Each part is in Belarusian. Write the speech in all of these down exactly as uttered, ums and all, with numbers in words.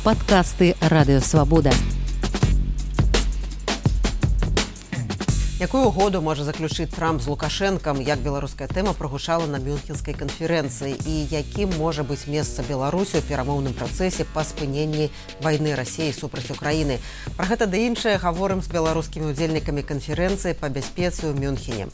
Падкасты Радыё Свабода. Якую угоду можа заключыць Трамп з Лукашэнкам, як беларуская тэма прагучала на Мюнхенскай канферэнцыі і якім можа быць месца Беларусі ў перамоўным працэсе па спыненні вайны Расіі супраць Украіны. Пра гэта ды іншае гаворым з беларускімі удзельнікамі канферэнцыі па бяспецы ў Мюнхене.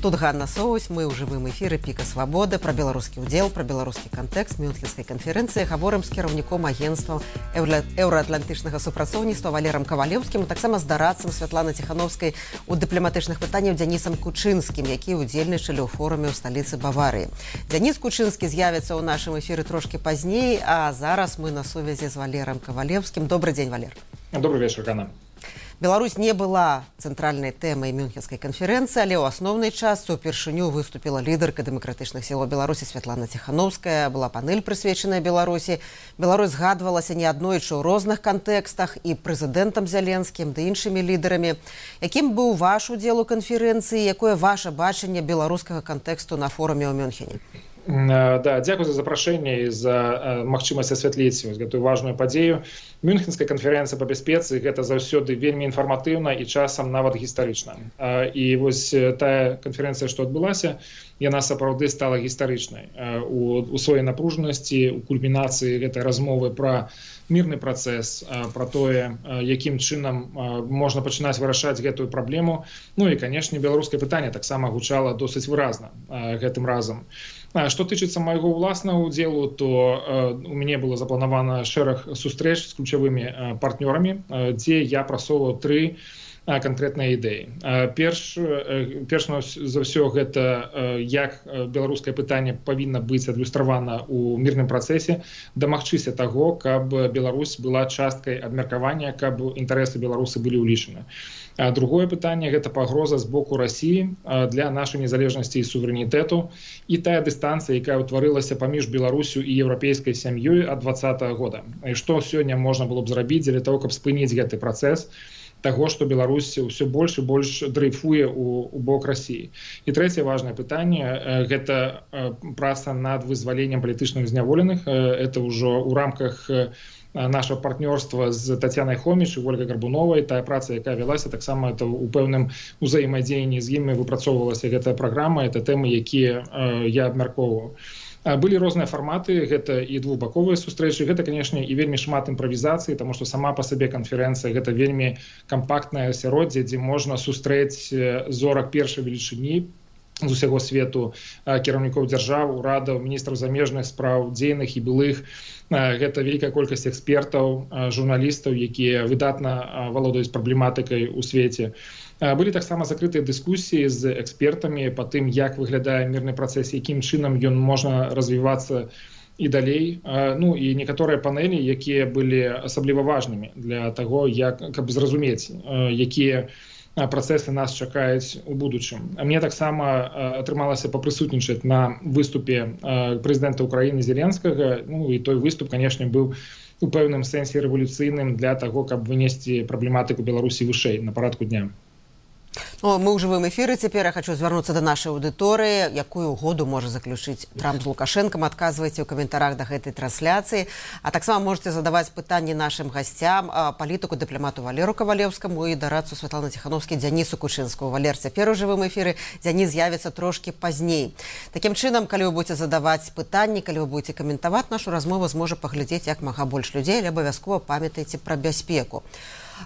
Тут Ганна Соусь, мы ў жывым эфіры Піка Свабоды, пра беларускі ўдзел, пра беларускі кантэкст Мюнхенскай канферэнцыі гаворым з кіраўніком агенцтва еўраатлантычнага супрацоўніцтва Валерам Кавалеўскім, таксама з дарадцам Святланы Ціхановскай у дыпламатычных пытанняў Дзянісам Кучынскім, які ўдзельнічалі ў форуме ў сталіцы Баварыі. Дзяніс Кучынскі з'явіцца ў нашым эфіры трошкі пазней, а зараз мы на сувязі з Валерам Кавалеўскім. Добрый дзень, Валер. Добрый вечер, Ганна. Беларусь не была цэнтральнай тэмай Мюнхенскай канферэнцыі, але ў асноўнай частцы ўпершыню выступіла лідарка дэмакратычных сілаў Беларусі Святлана Ціхановская, была панэль прысвечаная Беларусі. Беларусь згадвалася неаднойчы ў розных кантэкстах і прэзідэнтам Зяленскім, ды іншымі лідарамі. Якім быў ваш удзел у канферэнцыі, якое ваше бачанне беларускага кантэксту на форуме ў Мюнхене? Да, дзякую за запрашэнне і за магчымасць асвятліць гэтую важную падзею. Мюнхенская канферэнцыя па бяспецы гэта заўсёды вельмі інфарматыўна і часам нават гістарычна. І вось тая канферэнцыя, што адбылася, яна сапраўды стала гістарычнай у, у сваёй напружанасці, у кульмінацыі гэтай размовы пра мірны працэс, пра тое, якім чынам можна пачынаць вырашаць гэтую праблему. Ну і, канешне, беларускае пытанне таксама гучала досыць выразна гэтым разам. Што тычыцца майго ўласнага ўдзелу, то э, у мяне было запланавана шэраг сустрэч з ключавымі э, партнёрамі, э, дзе я прасоўваў тры э, канкрэтныя ідэі. Э, перш, э, перш за ўсё гэта э, як беларускае пытанне павінна быць адлюстравана ў мірным працэсе, дамагчыся таго, каб Беларусь была часткай абмеркавання, каб інтарэсы беларусы былі ўлічаны. А другое пытанне – гэта пагроза з боку Расіі для нашай незалежнасці і суверэнітэту і тая дыстанцыя, якая ўтварылася паміж Беларусю і еўрапейскай сям'ёй ад двадцатага года. І што сёння можна было б зрабіць для того, каб спыніць гэты працэс таго, што Беларусь ўсё больш і больш дрейфуе ў, ў бок Расіі. І трэцяе важнае пытанне – гэта праца над вызваленнем палітычных зняволеных. Это ўжо ў рамках нашего партнёрства з Тацянай Хоміч і Ольгай Гарбуновай, тая праца, якая вялася, таксама это ў пэўным узаемадзеянні з імі выпрацоўвалася гэтая праграма, это тэмы, якія э, я абмяркоўваў. Былі розныя фарматы, гэта і двухбаковыя сустрэчы, гэта, канешне, і вельмі шмат імправізацыі, таму што сама па сабе канферэнцыя гэта вельмі кампактнае асяроддзе, дзе можна сустрэць зорак першай велічыні з усяго свету, кіраўнікоў дзяржаў, урадаў, міністраў замежных спраў, дзейных і былых. Гэта вялікая колькасць экспертаў, журналістаў, якія выдатна валодаюць праблематыкай у свеце. Былі таксама закрытыя дыскусіі з экспертамі па тым, як выглядае мірны працэс, якім чынам ён можна развівацца і далей. Ну і некаторыя панэлі, якія былі асабліва важнымі для таго, як, каб зразумець, якія працэсы нас чакаюць у будучым. Мне таксама атрымалася папрысутнічаць на выступе прэзідэнта Украіны Зеленскага. Ну і той выступ, канешне, быў у пэўным сэнсе рэвалюцыйным для таго, каб вынесці праблематыку Беларусі вышэй на парадку дня. Ну, мы ў жывым эфіры цяпер. Я хочу звярнуцца да нашай аўдыторыі. Якую угоду можа заключыць Трамп з Лукашэнкам? Адказвайце ў каментарах да гэтай трансляцыі. А таксама можете задаваць пытанні нашым гасцям, палітыку, дыпламату Валеру Кавалеўскаму і дарадцу Святланы Ціхановскай Дзянісу Кучынскаму. Валер цяпер у жывым эфіры, Дзяніс з'явіцца трошкі пазней. Такім чынам, калі вы будзеце задаваць пытанні, калі вы будзеце каментаваць нашу размову, зможа паглядзець як мага больш людзей, але абавязкова памятайце пра бяспеку.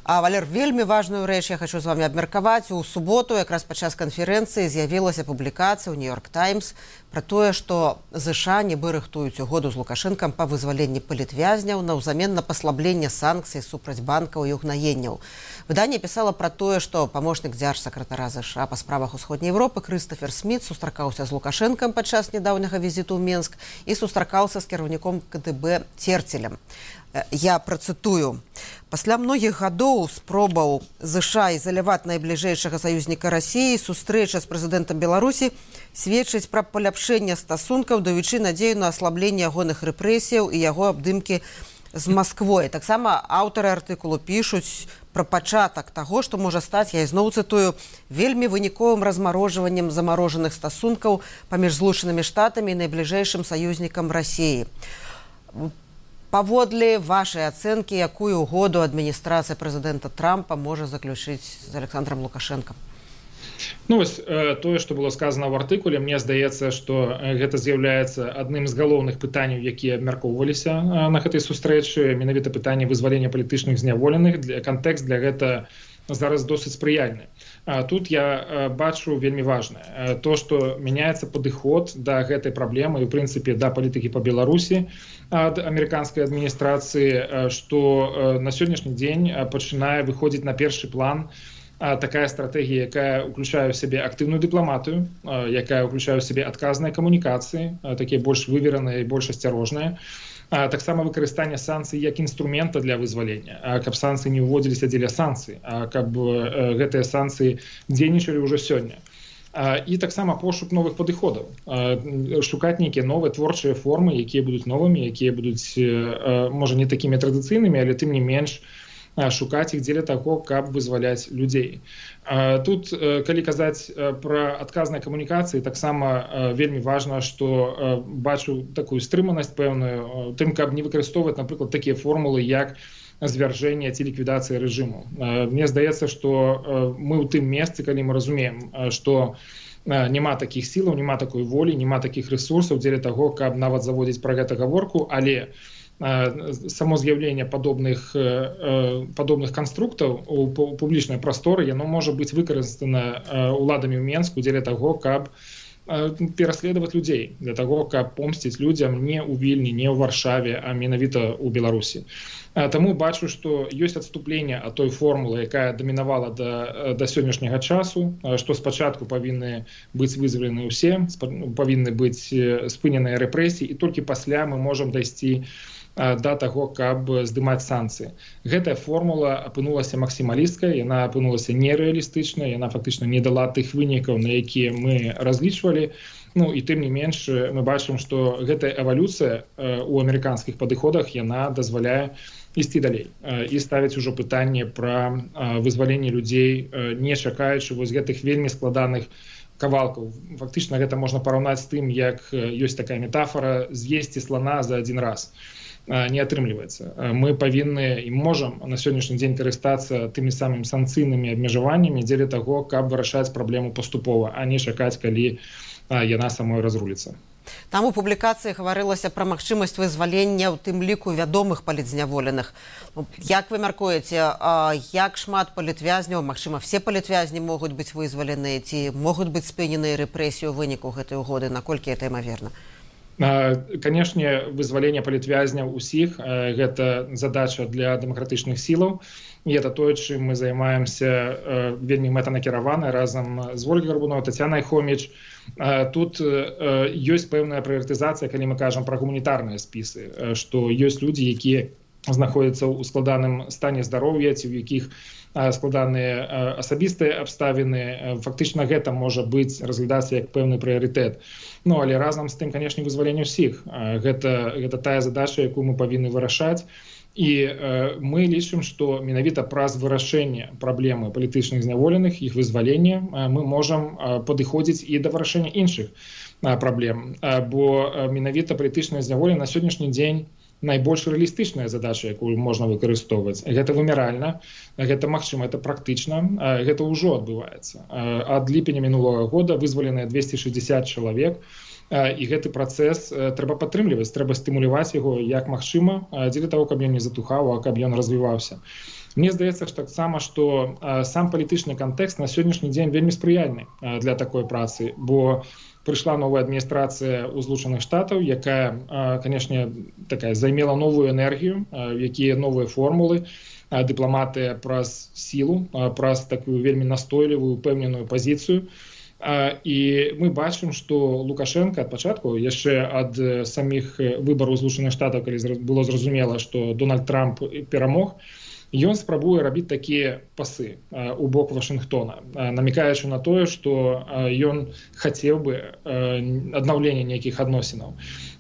А, Валер, вельмі важную рэч я хочу з вами абмеркаваць. У суботу, якраз падчас канферэнцыі, з'явілася публікацыя ў Нью-Йорк Таймс пра тое, што ЗША нібы рыхтуюць угоду з Лукашэнкам па вызваленні палітвязняў наўзамен на паслабленне санкцый супраць банкаў і угнаенняў. Выданне пісала пра тое, што памочнік дзяржсакратара ЗША па справах Усходняй Европы Крыстафер Сміт сустракаўся з Лукашэнкам падчас нядаўняга візіту ў Менск і сустракаўся з кіраўніком КДБ Церцелем. Я працытую. Пасля многіх гадоў спробаў ЗША ізаляваць найбліжэйшага саюзніка Расіі, сустрэча з прэзідэнтам Беларусі сведчыць пра паляпшэнне стасункаў, даючы надзею на аслабленне ягоных рэпрэсіяў і яго абдымкі з Масквой. Таксама аўтары артыкулу пішуць пра пачатак таго, што можа стаць, я ізноў цытую, вельмі выніковым размарожваннем замарожаных стасункаў паміж Злучанымі Штатамі і найбліжэйшым саюзнікам Расіі. Паводле вашай ацэнкі, якую угоду адміністрацыя прэзідэнта Трампа можа заключыць з Александром Лукашенком? Ну, вось, тое, што было сказано ў артыкуле, мне здаецца, што гэта з'яўляецца адным з галоўных пытанняў, якія абмяркоўваліся на гэтай сустрэчы, менавіта пытанне вызвалення палітычных зняволеных. Для кантэкст для гэта зараз досыць спрыяльны. Тут я бачу вельмі важнае то, што мяняецца падыход да гэтай праблемы і, ў прынцыпе, да палітыкі па Беларусі ад амерыканскай адміністрацыі, што на сённяшні дзень пачынае выходзіць на першы план такая стратэгія, якая ўключае ў сябе актыўную дыпламатыю, якая ўключае ў сябе адказныя камунікацыі, такія больш вывераныя і больш асцярожныя, таксама выкарыстанне санкцый як інструмента для вызвалення, каб санкцыі не ўводзіліся дзеля санкцый, каб гэтыя санкцыі дзейнічалі ўжо сёння. І таксама пошук новых падыходаў, шукаць нейкія новыя творчыя формы, якія будуць новымі, якія будуць, можа, не такімі традыцыйнымі, але тым не менш шукаць іх дзеля таго, каб вызваляць людзей. Тут, калі казаць пра адказныя камунікацыі, таксама вельмі важна, што бачу такую стрыманасць пэўную, тым, каб не выкарыстоўваць, напрыклад, такія формулы, як звяржэнне ці ліквідацыя рэжыму. Мне здаецца, што мы ў тым месцы, калі мы разумеем, што няма такіх сілаў, няма такой волі, няма такіх рэсурсаў дзеля таго, каб нават заводзіць пра гэта гаворку, але само з'яўленне падобных падобных канструктаў у публічнай прасторы, яно можа быць выкарыстана уладамі ў Менску дзеля таго, каб пераследаваць людзей, для таго, каб помсціць людзям не ў Вільні, не ў Варшаве, а менавіта ў Беларусі. Таму бачу, што ёсць адступленне ад той формулы, якая дамінавала да, да сённяшняга часу, што спачатку павінны быць вызвалены ўсе, павінны быць спыненыя рэпрэсіі, і толькі пасля мы можам дайсці да таго, каб здымаць санкцыі. Гэтая формула апынулася максімалісткай, яна апынулася нерэалістычнай, яна фактычна не дала тых вынікаў, на якія мы разлічвалі. Ну і тым не менш мы бачым, што гэтая эвалюцыя у амерыканскіх падыходах, яна дазваляе ісці далей і ставіць ужо пытанне пра вызваленне людзей, не чакаючы вось гэтых вельмі складаных кавалкаў. Фактычна гэта можна параўнаць з тым, як ёсць такая метафора з'есці слана за адзін раз. Не атрымліваецца. Мы павінны і можам на сённяшні дзень карыстацца тымі самымі санкцыйнымі абмежаваннямі дзеля таго, каб вырашаць праблему паступова, а не чакаць, калі яна самой разруліцца. Там у публікацыі гаварылася пра магчымасць вызвалення, у тым ліку вядомых палітзняволеных. Як вы мяркуеце, як шмат палітвязняў, магчыма, все палітвязні могуць быць вызваленыя, ці могуць быць спыненыя рэпрэсіі ў выніку гэтай угоды, наколькі гэта імаверна? Канешне, вызваленне палітвязняў усіх – гэта задача для дэмакратычных сілаў. І гэта тое, чым мы займаемся вельмі мэтанакіравана разам з Ольгай Гарбуновай, Тацянай Хоміч. Тут ёсць пэўная прыярытызацыя, калі мы кажам пра гуманітарныя спісы, што ёсць людзі, якія знаходзяцца ў складаным стане здароўя, ці ў якіх складаныя асабістыя абставіны. Фактычна гэта можа быць разглядацца як пэўны прыярытэт. Ну, але разам з тым, канешне, вызваленне ўсіх. Гэта, гэта тая задача, якую мы павінны вырашаць. І э, мы лічым, што менавіта праз вырашэнне праблемы палітычных зняволеных, іх вызвалення, э, мы можам э, падыходзіць і да вырашэння іншых э, праблем. Э, бо э, менавіта палітычнае зняволенне на сённяшні дзень найбольш рэалістычная задача, якую можна выкарыстоўваць. Гэта вымяральна, гэта магчыма, гэта практычна, гэта ўжо адбываецца. Ад ліпеня мінулага года вызваленыя двесце шэсцьдзесят чалавек, і гэты працэс трэба падтрымліваць, трэба стымуляваць яго як магчыма, дзеля таго, каб ён не затухаў, а каб ён развіваўся. Мне здаецца, што таксама, што сам палітычны кантэкст на сённяшні дзень вельмі спрыяльны для такой працы, бо прыйшла новая адміністрацыя ў Злучаных Штатаў, якая, канешне, такая займела новую энергію, якія новыя формулы, дыпламатыя праз сілу, праз такую вельмі настойлівую, упэўненую пазіцыю. І мы бачым, што Лукашенко ад пачатку, яшчэ ад саміх выбараў Злучаных Штатаў, калі было зразумела, што Дональд Трамп перамог, ён спрабуе рабіць такія пасы у бок Вашынгтона, намікаючы на тое, што ён хацеў бы аднаўлення нейкіх адносінаў.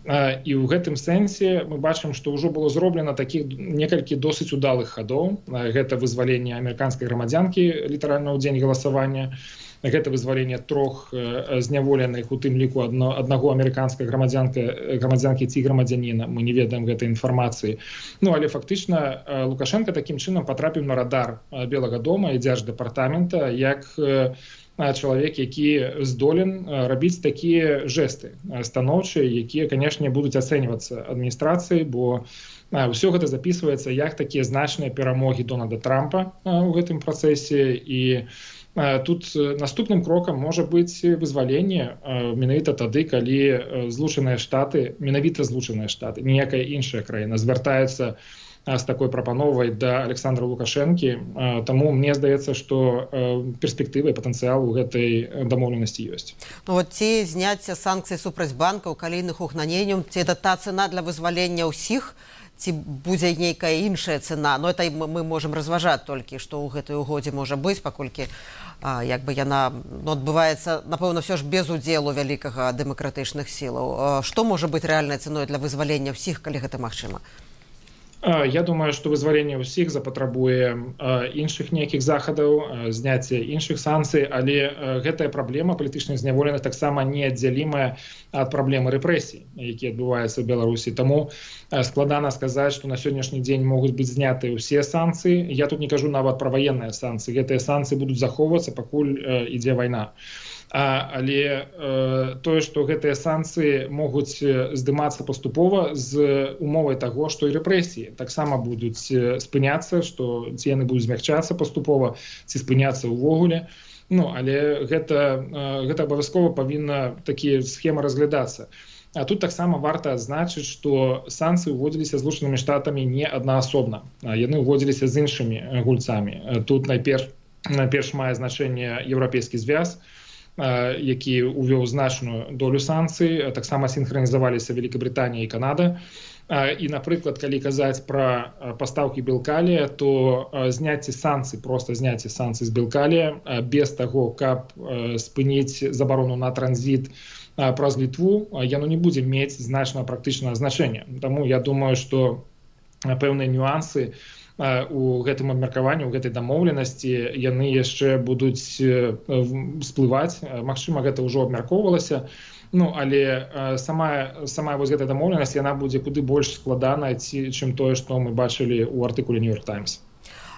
І ў гэтым сэнсе мы бачым, што ўжо было зроблена такіх некалькі досыць удалых хадоў. Гэта вызваленне амерыканскай грамадзянкі літаральна ў дзень галасавання, гэта вызваленне трох зняволеных, у тым ліку адно, аднаго амерыканскага грамадзянка, грамадзянкі ці грамадзяніна, мы не ведаем гэтай інфармацыі. Ну, але фактычна Лукашенко такім чынам патрапіў на радар Белага дома і дзярждэпартамента як чалавек, які здолен рабіць такія жэсты станоўчыя, якія, канешне, будуць ацэньвацца адміністрацыяй, бо ўсё гэта запісваецца як такія значныя перамогі Дональда Трампа ў гэтым працэсе. І тут наступным крокам можа быць вызваленне менавіта тады, калі Злучаныя Штаты, менавіта Злучаныя Штаты, ніякая іншая краіна звяртаюцца з такой прапановай да Александра Лукашэнкі. Таму мне здаецца, што перспектывы і патэнцыял у гэтай дамоўленасці ёсць. Ну, вот ці зняцце санкцый супраць банкаў, калійных угнаненняў, ці это та цена для вызвалення ўсіх, ці будзе нейкая іншая цена? Ну, это мы можам разважаць толькі, што ў гэтай угодзе можа быць, паколькі а, як бы яна ну, адбываецца, напэўна, ўсё ж без удзелу вялікага дэмакратычных сілаў. Што можа быць рэальнай цэной для вызвалення ўсіх, калі гэта магчыма? Я думаю, што вызваленне ўсіх запатрабуе іншых нейкіх захадаў, зняцце іншых санкцый, але гэтая праблема палітычных зняволеных таксама неаддзялімая ад праблемы рэпрэсій, якія адбываюцца ў Беларусі. Таму складана сказаць, што на сённяшні дзень могуць быць знятыя ўсе санкцыі. Я тут не кажу нават пра ваенныя санкцыі. Гэтыя санкцыі будуць захоўвацца, пакуль ідзе вайна. А, але э, тое, што гэтыя санкцыі могуць здымацца паступова з умовай таго, што і рэпрэсіі таксама будуць спыняцца, што ці яны будуць змягчацца паступова, ці спыняцца ўвогуле. Ну, але гэта, э, гэта абавязкова павінна такія схемы разглядацца. А тут таксама варта адзначыць, што санкцыі ўводзіліся Злучанымі Штатамі не аднаасобна. Яны ўводзіліся з іншымі гульцамі. Тут найперш, найперш мае значэнне Еўрапейскі звяз, які ўвёў значную долю санкцый, таксама сінхранізаваліся Великабрытанія і Канада. І, напрыклад, калі казаць пра пастаўкі белкалія, то зняцце санкцый, проста зняцце санкцый з белкалія без таго, каб спыніць забарону на транзіт праз Літву, яно не будзе мець значнага практычнага значэння. Таму я думаю, што пэўныя нюансы у гэтым абмеркаванні, у гэтай дамоўленасці яны яшчэ будуць всплываць. Магчыма, гэта ўжо абмяркоўвалася. Ну, але сама, сама вось гэтая дамоўленасць, яна будзе куды больш складанай, чым тое, што мы бачылі ў артыкуле Нью-Йорк Таймс.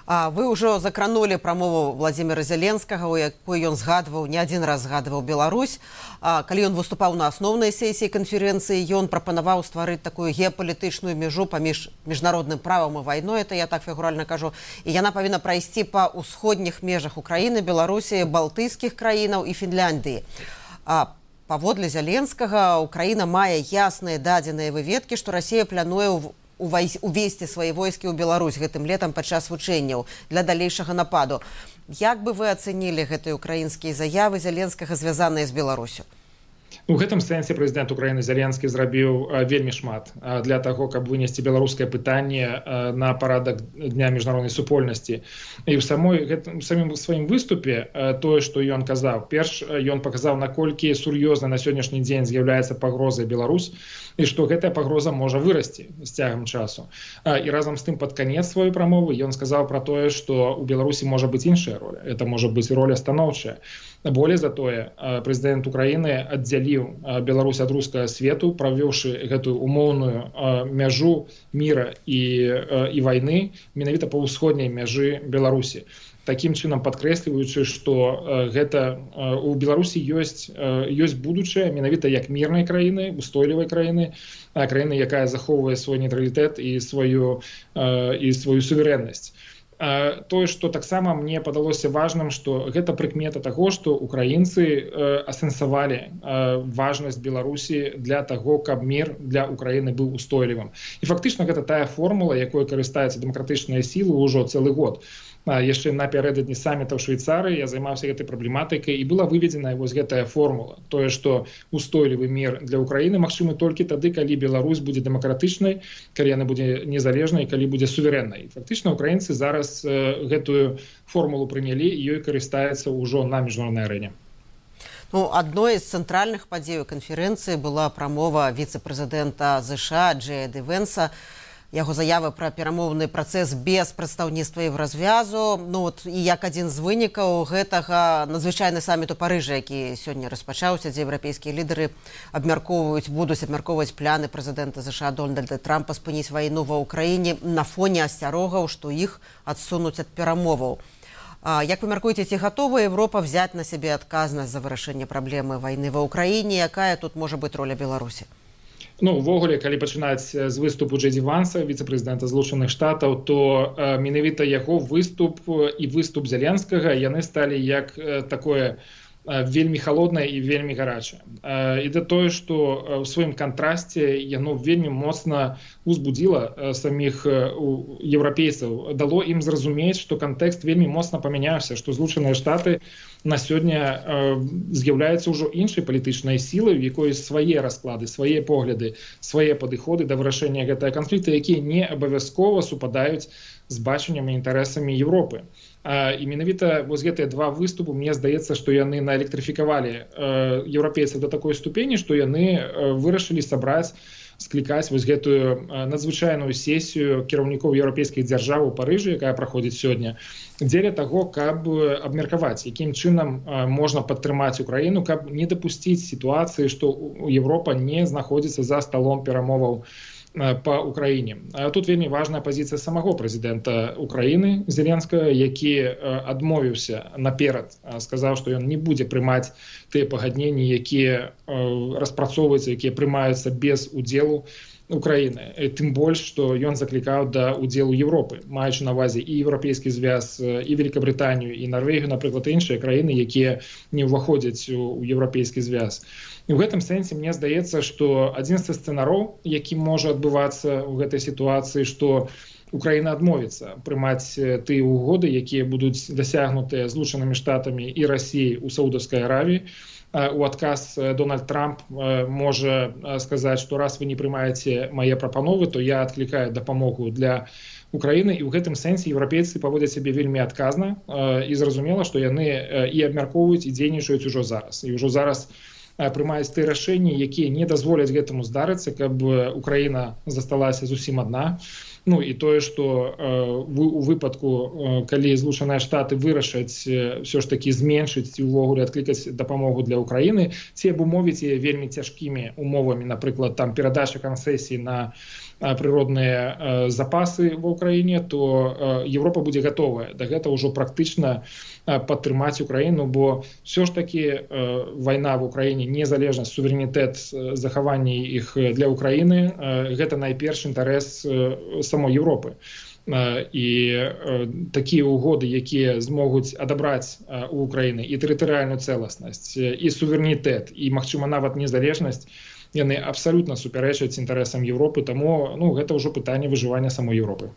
А вы ўжо закранулі прамову Владзіміра Зеленскага, у якой ён згадваў, не адзін раз згадваў Беларусь. А, калі ён выступаў на асноўнай сесіі канферэнцыі, ён прапанаваў стварыць такую геапалітычную мяжу паміж міжнародным правам і вайной, это я так фігуральна кажу, і яна павінна прайсці па ўсходніх межах Украіны, Беларусі, балтыйскіх краінаў і Фінляндыі. А, паводле Зеленскага, Украіна мае ясныя дадзеныя выведкі, што Расія плануе ў увесці свае войскі ў Беларусь гэтым летам падчас вучэнняў для далейшага нападу. Як бы вы ацэнілі гэтыя украінскія заявы Зеленскага, звязаныя з Беларусю? У гэтым сэнсе прэзідэнт Украіны Зеленскі зрабіў вельмі шмат для таго, каб вынесці беларускае пытанне на парадак дня міжнароднай супольнасці. І ў самой гэтым самім сваім выступе тое, што ён казаў, перш ён паказаў, наколькі сур'ёзна на сённяшні дзень з'яўляецца пагрозай Беларусь і што гэтая пагроза можа вырасці з цягам часу. І разам з тым пад канец сваёй прамовы ён сказаў пра тое, што ў Беларусі можа быць іншая роля. Это можа быць роля станоўчая. Болей за тое, прэзідэнт Украіны аддзяліў Беларусь ад рускага свету, правёўшы гэтую умоўную мяжу міра і, і вайны менавіта па ўсходняй мяжы Беларусі. Такім чынам падкрэсліваючы, што гэта у Беларусі ёсць, ёсць будучае менавіта як мірнай краіны, устойлівай краіны, краіны, якая захоўвае свой нейтралітэт і сваю, і сваю суверэннасць. Тое, што таксама мне падалося важным, што гэта прыкмета таго, што украінцы асэнсавалі важнасць Беларусі для таго, каб мір для Украіны быў устойлівым. І фактычна гэта тая формула, якой карыстаюцца дэмакратычныя сілы ўжо цэлы год. Яшчэ напярэдадні саміта ў Швейцарыі я займаўся гэтай праблематыкай і была выведзена вось гэтая формула. Тое, што устойлівы мір для Украіны магчымы толькі тады, калі Беларусь будзе дэмакратычнай, калі яна будзе незалежнай, калі будзе суверэннай. Фактычна украінцы зараз гэтую формулу прынялі і ёй карыстаюцца ўжо на міжнароднай арэне. Ну, адной з цэнтральных падзей канферэнцыі была прамова віцэ-прэзідэнта ЗША Джея Ді Венса. яго заявы пра перамоўны працэс без прадстаўніцтва Еўразвязу. Ну, от, і як адзін з вынікаў гэтага надзвычайны саміт у Парыжы, які сёння распачаўся, дзе еўрапейскія лідары абмяркоўваюць, будуць абмяркоўваць пляны прэзідэнта ЗША Дональда Трампа спыніць вайну ва ўкраіне на фоне асцярогаў, што іх адсунуць ад перамоваў. А, як вы мяркуеце, ці гатова Еўропа взяць на сябе адказнасць за вырашэнне праблемы вайны ва ўкраіне? Якая тут можа быць роля Беларусі? Ну, увогуле, калі пачынаць з выступу Джей Ді Ванса, віцэ-прэзідэнта Злучаных Штатаў, то э, менавіта яго выступ і выступ Зеленскага, яны сталі як э, такое э, вельмі халоднае і вельмі гарачае. Э, і да тое, што ў сваім кантрасце яно вельмі моцна узбудзіла э, саміх э, еўрапейцаў, дало ім зразумець, што кантэкст вельмі моцна памяняўся, што Злучаныя Штаты на сёння э, з'яўляецца ўжо іншай палітычнай сілай, у якой свае расклады, свае погляды, свае падыходы да вырашэння гэтага канфлікта, якія не абавязкова супадаюць з бачаннем і інтарэсамі Еўропы. А, і менавіта вось гэтыя два выступы, мне здаецца, што яны наэлектрыфікавалі э, еўрапейцаў да такой ступені, што яны э, вырашылі сабраць, склікаць вось гэтую надзвычайную сесію кіраўнікоў еўрапейскіх дзяржаў у Парыжы, якая праходзіць сёння, дзеля таго, каб абмеркаваць, якім чынам можна падтрымаць Украіну, каб не дапусціць сітуацыі, што Еўропа не знаходзіцца за сталом перамоваў па Украіне. Тут вельмі важная пазіцыя самого прэзідэнта Украіны Зеленскага, які адмовіўся наперад, сказаў, што ён не будзе прымаць тыя пагадненні, якія распрацоўваюцца, якія прымаюцца без удзелу Украіны. Тым больш, што ён заклікаў да удзелу Еўропы, маючы на ўвазе і Еўрапейскі звяз, і Великабрытанію, і Нарвегію, напрыклад, іншыя краіны, якія не ўваходзяць у Еўрапейскі звяз. І ў гэтым сэнсе мне здаецца, што адзін з сцэнароў, які можа адбывацца ў гэтай сітуацыі, што Украіна адмовіцца прымаць тыя угоды, якія будуць дасягнутыя Злучанымі Штатамі і Расіяй у Саудаўскай Аравіі. У адказ Дональд Трамп можа сказаць, што раз вы не прымаеце мае прапановы, то я адклікаю дапамогу для Украіны. І ў гэтым сэнсе еўрапейцы паводзяць сябе вельмі адказна і зразумела, што яны і абмяркоўваюць і дзейнічаюць ужо зараз. І ўжо зараз прымаюць тыя рашэнні, якія не дазволяць гэтаму здарыцца, каб Украіна засталася зусім адна. Ну і тое, што э, у выпадку, э, калі Злучаныя Штаты вырашаць э, ўсё ж такі зменшыць і ўвогуле адклікаць дапамогу для Украіны, ці абумовіць яе вельмі цяжкімі умовамі, напрыклад, там перадача канцэсій на э, прыродныя э, запасы ва Украіне, то э, Еўропа будзе гатовая да гэта ўжо практычна э, падтрымаць Украіну, бо ўсё ж такі э, вайна в Украіне, незалежнасць, суверэнітэт, э, захаванне іх для Украіны, э, гэта найперш інтарэс э, самой Еўропы. І такія угоды, якія змогуць адабраць у Украіны і тэрытарыяльную цэласнасць, і суверэнітэт, і, магчыма, нават незалежнасць, яны абсалютна супярэчаць інтарэсам Еўропы, таму ну, гэта ўжо пытанне выжывання самой Еўропы.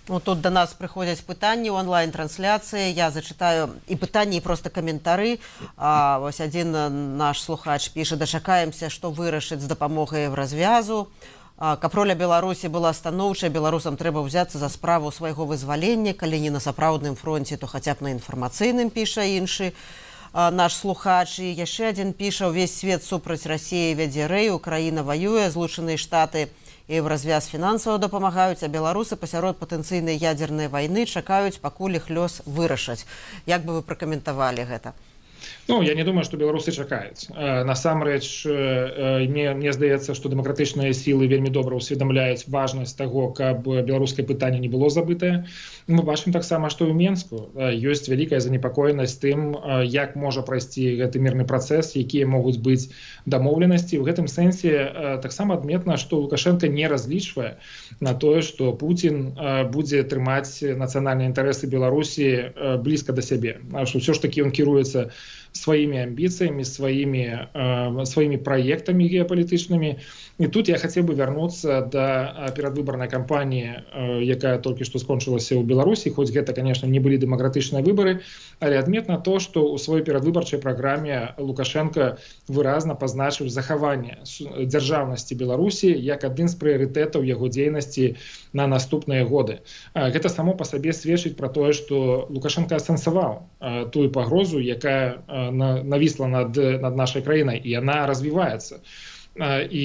Ну, тут до нас прыходзяць пытанні ў онлайн-трансляцыі. Я зачытаю і пытанні, і проста каментары. А, вось адзін наш слухач піша: дачакаемся, што вырашыць з дапамогай Еўразвязу. Каб роля Беларусі была станоўчай, беларусам трэба ўзяцца за справу свайго вызвалення, калі не на сапраўдным фронце, то хаця б на інфармацыйным, піша іншы наш слухач. І яшчэ адзін піша: увесь свет супраць Расіі вядзе рэй, Украіна ваюе, Злучаныя Штаты і Еўразвяз фінансава дапамагаюць, а беларусы пасярод патэнцыйнай ядзернай вайны чакаюць, пакуль іх лёс вырашаць. Як бы вы пракаментавалі гэта? Ну, я не думаю, што беларусы чакаюць. Насамрэч, мне, мне здаецца, што дэмакратычныя сілы вельмі добра ўсведамляюць важнасць таго, каб беларускае пытанне не было забытае. Мы бачым таксама, што ў Менску ёсць вялікая занепакоенасць тым, як можа прайсці гэты мірны працэс, якія могуць быць дамоўленасці. У гэтым сэнсе таксама адметна, што Лукашенко не разлічвае на тое, што Пуцін будзе трымаць нацыянальныя інтарэсы Беларусі блізка да сябе. Што ўсё ж такі ён кіруецца сваімі амбіцыямі, сваімі, э, сваімі праектамі геапалітычнымі. І тут я хацеў бы вярнуцца да перадвыбарнай кампаніі, э, якая толькі што скончылася ў Беларусі, хоць гэта, конечно, не былі дэмакратычныя выбары, але адметна то, што ў сваёй перадвыбарчай праграме Лукашенко выразна пазначыў захаванне дзяржаўнасці Беларусі як адзін з прыярытэтаў яго дзейнасці на наступныя годы. Э, гэта само па сабе сведчыць пра тое, што Лукашенко асэнсаваў э, тую пагрозу, якая навісла над, над нашай краінай, і яна развіваецца. І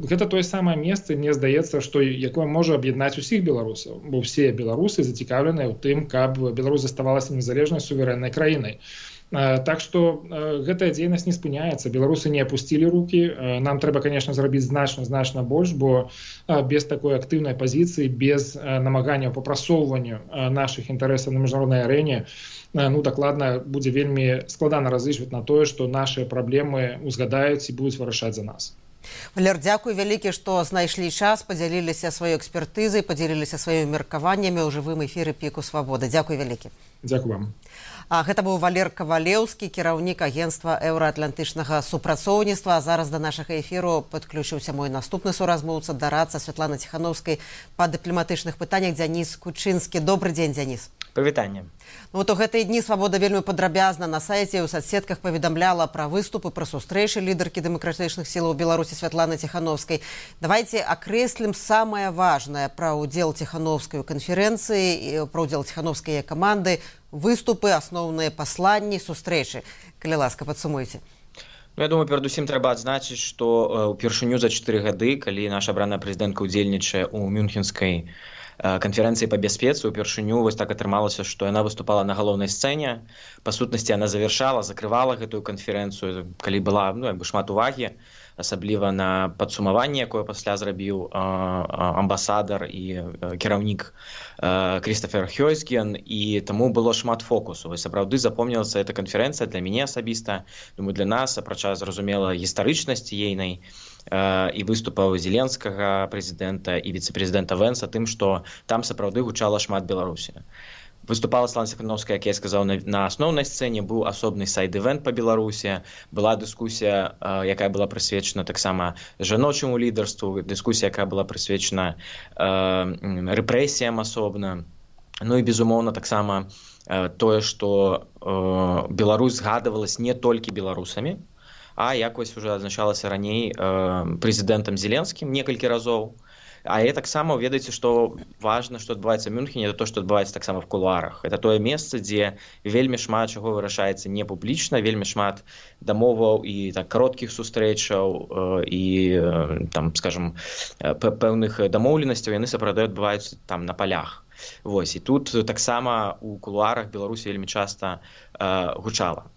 гэта тое самае месца, мне здаецца, што якое можа аб'яднаць усіх беларусаў, бо ўсе беларусы зацікаўленыя ў тым, каб Беларусь заставалася незалежнай суверэннай краінай. Так што гэтая дзейнасць не спыняецца, беларусы не апусцілі рукі, нам трэба, конечно, зрабіць значна-значна больш, бо без такой актыўнай пазіцыі, без намаганняў па прасоўванню нашых інтарэсаў на міжнароднай арэне, ну, дакладна будзе вельмі складана разлічваць на тое, што нашыя праблемы узгадаюць і будуць вырашаць за нас. Валер, дзякуй вялікі, што знайшлі час, падзяліліся сваёй экспертызай, падзяліліся сваімі меркаваннямі ў жывым эфіры Піку Свабоды. Дзякуй вялікі. Дзякуй вам. А гэта быў Валер Кавалеўскі, кіраўнік агенцтва еўраатлантычнага супрацоўніцтва. А зараз да нашага эфіру падключыўся мой наступны суразмоўца, дарадца Святланы Ціхановскай па дыпламатычных пытаннях Дзяніс Кучынскі. Добры дзень, Дзяніс. Павітанне. Ну, то гэтыя дні Свабода вельмі падрабязна на сайце і ў соцсетках паведамляла пра выступы, пра сустрэчы лідаркі дэмакратычных сілаў Беларусі Святланы Ціхановскай. Давайце акрэслім самае важнае пра ўдзел Ціхановскай у канферэнцыі, пра ўдзел Ціхановскай каманды, выступы, асноўныя пасланні, сустрэчы. Калі ласка, падсумуйце. Ну, я думаю, перадусім трэба адзначыць, што ўпершыню за чатыры гады, калі наша абраная прэзідэнтка ўдзельнічае ў мюнхенскай канферэнцыі па бяспецы, упершыню вось так атрымалася, што яна выступала на галоўнай сцэне. Па сутнасці, яна завяршала, закрывала гэтую канферэнцыю, калі была, ну, як бы шмат увагі, асабліва на падсумаванне, якое пасля зрабіў амбасадар і кіраўнік Крістафер Хёйсген, і таму было шмат фокусу. Вось сапраўды запомнілася эта канферэнцыя для мяне асабіста, думаю, для нас, апрача, зразумела, гістарычнасці ейнай і выступаў зеленскага прэзідэнта і віцэ-прэзідэнта Вэнса тым, што там сапраўды гучала шмат Беларусі. Выступала Святлана Ціхановская, як я сказаў, на, на асноўнай сцэне, быў асобны сайд-івент па Беларусі, была дыскусія, якая была прысвечана таксама жаночаму лідарству, дыскусія, якая была прысвечана э, рэпрэсіям асобна. Ну і, безумоўна, таксама э, тое, што э, Беларусь згадывалась не толькі беларусамі, а як вось уже адзначалася раней э, прэзідэнтам Зеленскім некалькі разоў. А я таксама ведаеце, што важна, што адбываецца ў Мюнхене, это то, што адбываецца таксама в кулуарах. Это тое месца, дзе вельмі шмат чаго вырашаецца не публічна, вельмі шмат дамоваў і так кароткіх сустрэчаў э, і э, там, скажем, пэўных дамоўленасцяў, яны сапраўды адбываюцца там на палях. Вось, і тут таксама у кулуарах Беларусь вельмі часта э, гучала.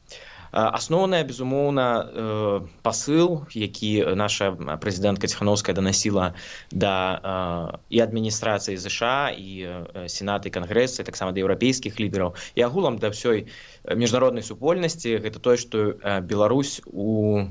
Асноўная, безумоўна, пасыл, які наша прэзідэнтка Ціхановская данасіла да і адміністрацыі ЗША, і сената, і кангрэса, і таксама да еўрапейскіх лідараў, і агулам да ўсёй міжнароднай супольнасці, гэта тое, што Беларусь у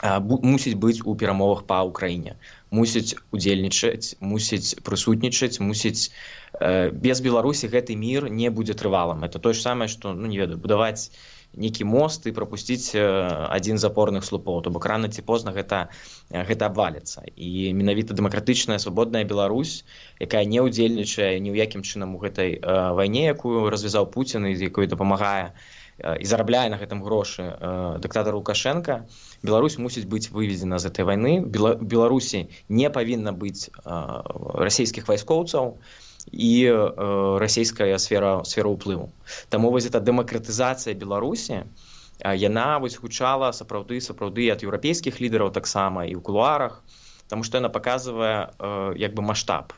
мусіць быць у перамовах па Ўкраіне, мусіць удзельнічаць, мусіць прысутнічаць, мусіць без Беларусі гэты мір не будзе трывалым. Это тое ж самае, што, ну не ведаю, будаваць нейкі мост і прапусціць адзін з апорных слупоў, то бок рана ці позна гэта, гэта абваліцца. І менавіта дэмакратычная свабодная Беларусь, якая не ўдзельнічае ні ў якім чынам у гэтай вайне, якую развязаў Пуцін і якой дапамагае і зарабляе на гэтым грошы дыктатар Лукашенка, Беларусь мусіць быць выведзена з гэтай вайны. Беларусі не павінна быць расійскіх вайскоўцаў і э, расійская сфера, сфера ўплыву. Таму вось эта дэмакратызацыя Беларусі, яна вось гучала сапраўды, сапраўды ад еўрапейскіх лідараў таксама і ў кулуарах, таму што яна паказвае э, як бы маштаб.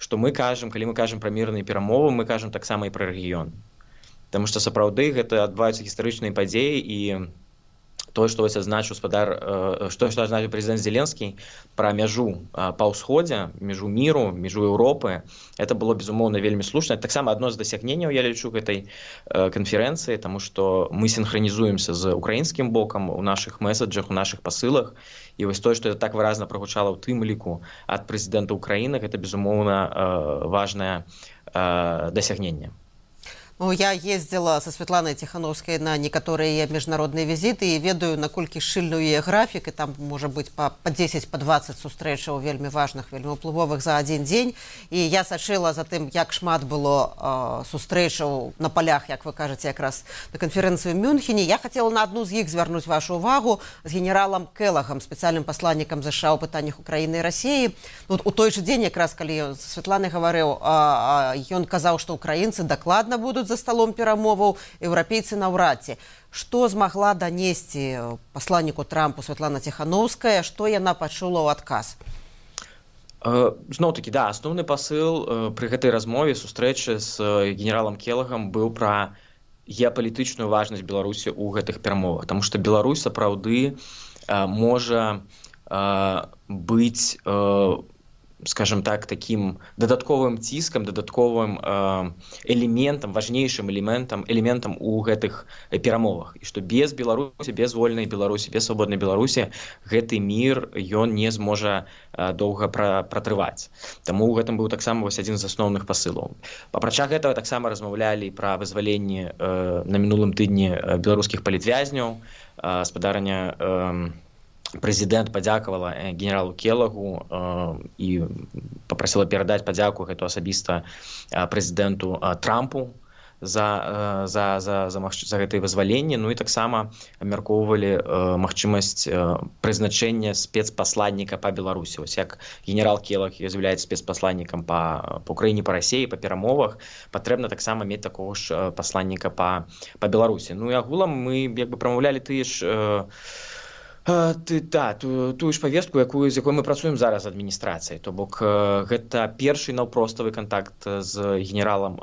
Што мы кажам, калі мы кажам пра мірныя перамовы, мы кажам таксама і пра рэгіён. Таму што сапраўды гэта адбываюцца гістарычныя падзеі, і тое, што вось адзначыў спадар, што што адзначыў прэзідэнт Зеленскі пра мяжу па ўсходзе, мяжу міру, мяжу Еўропы, это было, безумоўна, вельмі слушна. Таксама адно з дасягненняў, я лічу, гэтай канферэнцыі, таму што мы сінхранізуемся з украінскім бокам у нашых месаджах, у нашых пасылах, і вось тое, што это так выразна прагучала ў тым ліку ад прэзідэнта Украіны, гэта, безумоўна, важнае дасягненне. Ну, я ездила со Светланой Тихановской на некоторые международные визиты и ведаю, наколькі шчыльны яе графік, і там можа быць па, па дзесяць, па дваццаць сустрэчаў вельмі важных, вельмі ўплывовых за адзін дзень. І я сачыла за тым, як шмат было э, сустрэчаў на палях, як вы кажаце, якраз на канферэнцыю ў Мюнхене. Я хацела на адну з іх звярнуць вашу увагу з генералам Келагам, спецыяльным пасланнікам ЗША ў пытаннях Украіны і Расіі. Ну, у той жа дзень, якраз калі Светлана гаварыў, э, э, ён казаў, што украінцы дакладна будуць будуць за сталом перамоваў, еўрапейцы наўрад ці. Што змагла данесці пасланніку Трампу Святлана Ціхановская, што яна пачула ў адказ? Зноў-такі, да, асноўны пасыл пры гэтай размове, сустрэчы з генералам Келагам быў пра геапалітычную важнасць Беларусі ў гэтых перамовах, таму што Беларусь сапраўды можа быць, скажем так, таким дадатковым ціскам, дадатковым элементам, важнейшым элементам, элементам у гэтых перамовах. І што без Беларусі, без вольнай Беларусі, без свабоднай Беларусі гэты мір, ён не зможа доўга пратрываць. Таму ў гэтым быў таксама вось адзін з асноўных пасылаў. Апрача гэтага таксама размаўлялі пра вызваленне на мінулым тыдні беларускіх палітвязняў, спадарня Прэзідэнт падзякавала генералу Келагу і папрасіла перадаць падзяку гэту асабіста прэзідэнту Трампу за, за, за, за, за гэтае вызваленне. Ну і таксама абмяркоўвалі магчымасць прызначэння спецпасланніка па Беларусі. Вось як генерал Келаг з'яўляецца спецпасланнікам па, па Украіне, па Расіі, па перамовах, патрэбна таксама мець такога ж пасланніка па, па Беларусі. Ну і агулам мы як бы прамаўлялі тыя ж Ты, да, ту, тую ж павестку, якую, з якой мы працуем зараз з адміністрацыяй. То бок гэта першы наўпроставы кантакт з генералам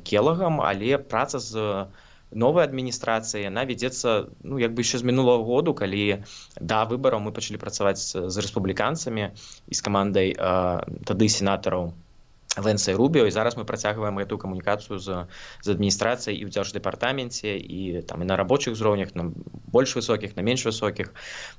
Келагам, але праца з новай адміністрацыяй, яна вядзецца, ну, як бы яшчэ з мінулага году, калі да выбараў мы пачалі працаваць з рэспубліканцамі і з камандай тады сенатараў Вэнса і Рубіо, і зараз мы працягваем гэтую камунікацыю з, з адміністрацыяй і ў дзярждэпартаменце, і там і на рабочых узроўнях, на больш высокіх, на менш высокіх.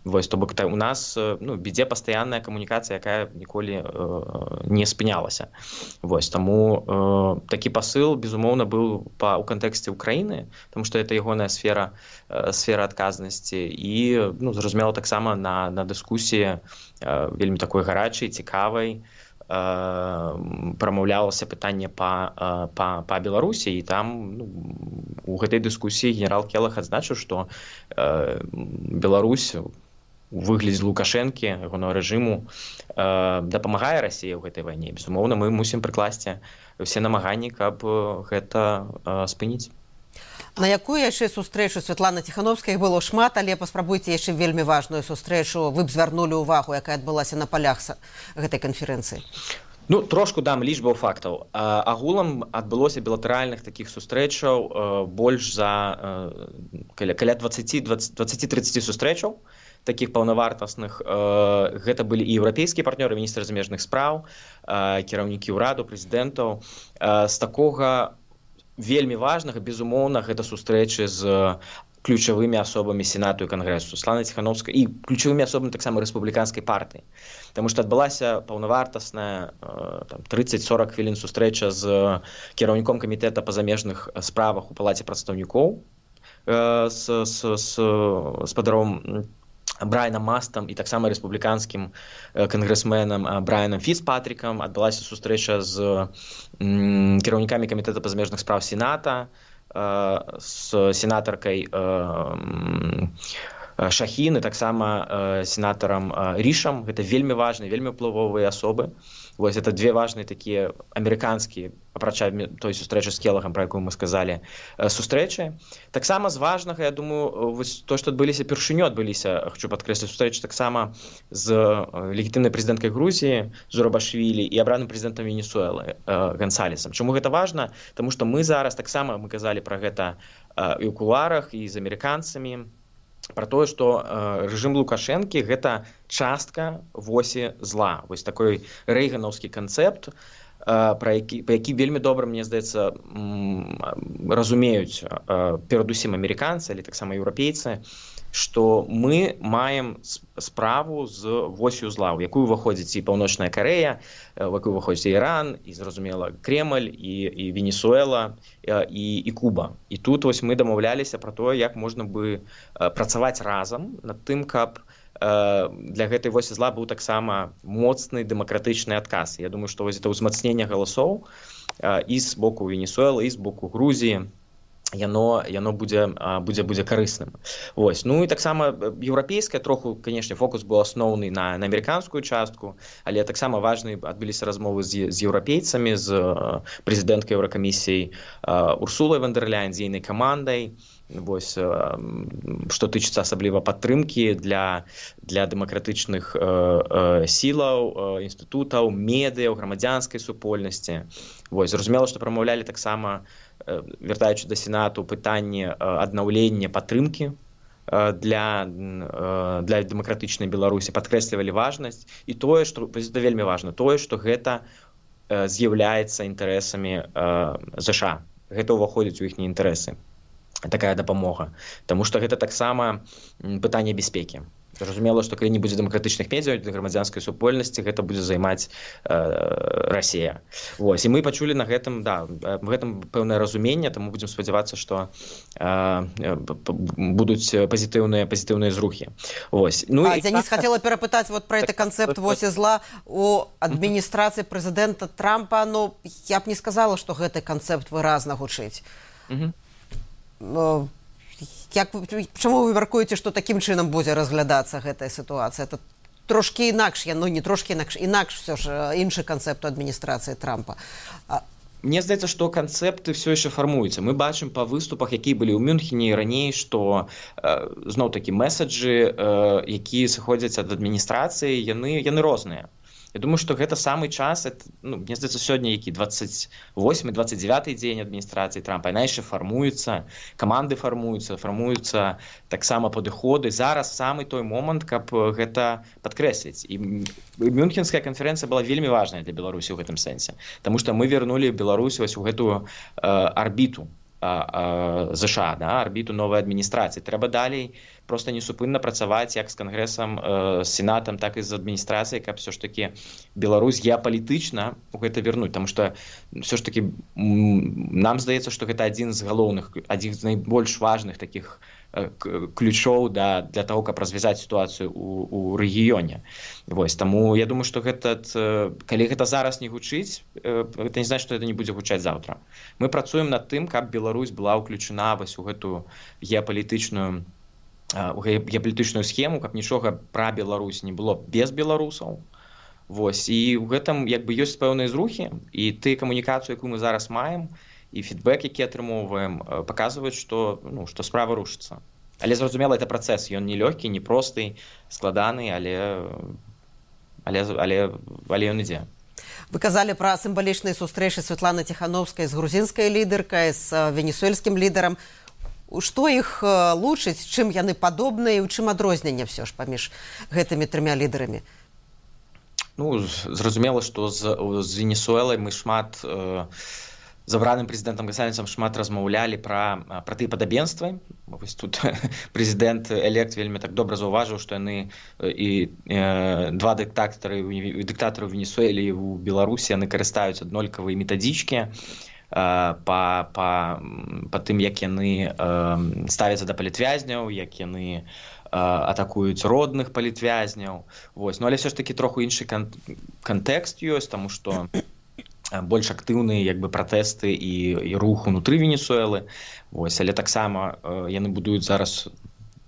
Вось, то бок у нас, ну, ідзе пастаянная камунікацыя, якая ніколі э, не спынялася. Вось, таму э, такі пасыл, безумоўна, быў па, у кантэксце Украіны, тому што гэта ягоная сфера, э, сфера адказнасці, і, ну, зразумела, таксама на, на дыскусіі э, вельмі такой гарачай, цікавай, прамаўлялася пытанне па, па, па Беларусі, і там, ну, у гэтай дыскусіі генерал Келаг адзначыў, што э, Беларусь у выглядзе Лукашэнкі, ягонага рэжыму, э, дапамагае Расіі ў гэтай вайне. Безумоўна, мы мусім прыкласці ўсе намаганні, каб гэта э, спыніць. На якую яшчэ сустрэчу Святланы Ціхановскай было шмат, але паспрабуйце яшчэ вельмі важную сустрэчу, вы б звярнулі ўвагу, якая адбылася на палях гэтай канферэнцыі? Ну, трошку дам лічбаў фактаў. Агулам адбылося білатэральных такіх сустрэчаў больш за каля дваццаць-трыццаць сустрэчаў, такіх паўнавартасных. Гэта былі і еўрапейскія партнёры, міністры замежных спраў, кіраўнікі ўраду, прэзідэнтаў. З такога вельмі важнага, безумоўна, гэта сустрэчы з ключавымі асобамі Сенату і Кангрэсу, Святлана Ціхановская, і ключавымі асобамі таксама рэспубліканскай партыі. Таму што адбылася паўнавартасная трыццаць-сорак хвілін сустрэча з кіраўніком камітэта па замежных справах у палаце прадстаўнікоў, з, з, з спадаром Брайаном Мастам і таксама рэспубліканскім кангрэсменам Брайаном Фіцпатрікам. Адбылася сустрэча з кіраўнікамі камітэта па замежных спраў Сената, з сенатаркай Шахін і таксама сенатарам Рішам. Гэта вельмі важныя, вельмі ўплывовыя асобы. Вось это две важныя такія амерыканскія, апрача той сустрэчы з Келагам, пра якую мы сказалі, сустрэчы. Таксама з важнага, я думаю, вось то, што адбыліся першыню, адбыліся, хочу падкрэсліць, сустрэчы таксама з легітымнай прэзідэнткай Грузіі Зурабашвілі і абраным прэзідэнтам Венесуэлы Гансалесам. Чаму гэта важна? Таму што мы зараз таксама, мы казалі пра гэта і ў кулуарах, і з амерыканцамі, пра тое, што э, рэжым Лукашэнкі гэта частка восі зла. Вось такой рэйганаўскі канцэпт, э, пра які, па які вельмі добра, мне здаецца, разумеюць э, перадусім амерыканцы, але таксама еўрапейцы, што мы маем справу з восью зла, у якую ўваходзіць і Паўночная Карэя, у якую ўваходзіць і Іран, і, зразумела, Кремль, і, і Венесуэла, і, і Куба. І тут вось мы дамаўляліся пра тое, як можна бы працаваць разам над тым, каб для гэтай восі зла быў таксама моцны дэмакратычны адказ. Я думаю, што вось это ўзмацненне галасоў і з боку Венесуэлы, і з боку Грузіі, яно яно будзе будзе будзе карысным. Вось. Ну і таксама еўрапейская троху, канешне, фокус быў асноўны на, на амерыканскую частку, але таксама важны адбыліся размовы з, з еўрапейцамі, з прэзідэнткай Еўракамісіяй Урсулай фон дер Ляйен, з ейнай камандай. Вось, што тычыцца асабліва падтрымкі для, для дэмакратычных э, э, сілаў, э, інстытутаў, медыяў, грамадзянскай супольнасці. Вось, зразумела, што прамаўлялі таксама, э, вяртаючы да Сенату, пытанне э, аднаўлення падтрымкі э, для, э, для дэмакратычнай Беларусі, падкрэслівалі важнасць. І тое, што гэта вельмі важна, тое, што гэта э, з'яўляецца інтарэсамі э, ЗША. Гэта ўваходзіць у іхнія інтарэсы. Такая дапамога. Таму што гэта таксама пытанне бяспекі. Зразумела, што калі не будзе дэмакратычных медыяў, грамадзянскай супольнасці, гэта будзе займаць э, Расія. Вось. І мы пачулі на гэтым, да, гэтым пэўнае разуменне, таму будзем спадзявацца, што э, будуць пазітыўныя пазітыўныя зрухі. Вось. Ну, а, і... Дзяніс, хотела перапытаць вот про гэты канцэпт «Вось і зла» у адміністрацыі прэзідэнта Трампа. Ну, я б не сказала, што гэты канцэпт выразна гучыць. Угу. Як, чаму вы мяркуеце, што такім чынам будзе разглядацца гэтая сітуацыя? Это трошкі інакш, ну не трошкі інакш, інакш все ж іншы канцэпт у адміністрацыі Трампа. Мне здаецца, што канцэпты все яшчэ фармуюцца. Мы бачым па выступах, якія былі ў Мюнхене і раней, што э, зноў-такі месаджы, э, якія сыходзяць ад адміністрацыі, яны, яны розныя. Я думаю, што гэта самы час, это, ну, мне здаецца, сёння які двадцать восьмы двадцать девяты дзень адміністрацыі Трампа, яна яшчэ фармуецца, каманды фармуюцца, фармуюцца таксама падыходы. Зараз самы той момант, каб гэта падкрэсліць. І Мюнхенская канферэнцыя была вельмі важная для Беларусі ў гэтым сэнсе, таму што мы вярнулі Беларусь вось у гэтую э, арбіту ЗША, да, арбіту новай адміністрацыі. Трэба далей проста несупынна працаваць як з Кангрэсам, з Сенатам, так і з адміністрацыяй, каб все ж таки Беларусь геапалітычна у гэта вярнуць, таму што все ж таки нам здаецца, што гэта адзін з галоўных, адзін з найбольш важных такіх ключоў да, для того, каб развязаць сітуацыю у, у рэгіёне. Вось, таму я думаю, што гэта, калі гэта зараз не гучыць, гэта не значыць, што гэта не будзе гучаць заўтра. Мы працуем над тым, каб Беларусь была ўключана вось у гэтую геапалітычную у геапалітычную схему, каб нічога пра Беларусь не было без беларусаў. Вось, і ў гэтым як бы ёсць пэўныя зрухі, і ты камунікацыю, якую мы зараз маем, і фідбэк, які атрымоўваем, паказваюць, што, ну, што справа рушыцца. Але зразумела, это працэс, ён не лёгкі, не просты, складаны, але, але, але, але ён ідзе. Вы казалі пра сімвалічныя сустрэчы Святланы Ціхановскай з грузінскай лідаркай, з венесуэльскім лідарам. Што іх лучыць, чым яны падобныя і ў чым адрозненне все ж паміж гэтымі трымя лідарамі? Ну, зразумела, што з, з Венесуэлай мы шмат... Э, з абраным прэзідэнтам Гасанецам шмат размаўлялі пра, пра тыя падабенствы. Вось тут прэзідэнт элект вельмі так добра заўважыў, што яны і э, два дыктатары, дыктатары ў Венесуэлі і ў Беларусі, яны карыстаюць аднолькавыя метадычкі э, па, па, па тым, як яны э, ставяцца да палітвязняў, як яны э, атакуюць родных палітвязняў. Вось. Ну, але все ж таки троху іншы кан кантэкст ёсць, таму што больш актыўныя як бы пратэсты і, і рух унутры Венесуэлы. Вось, але таксама э, яны будуюць зараз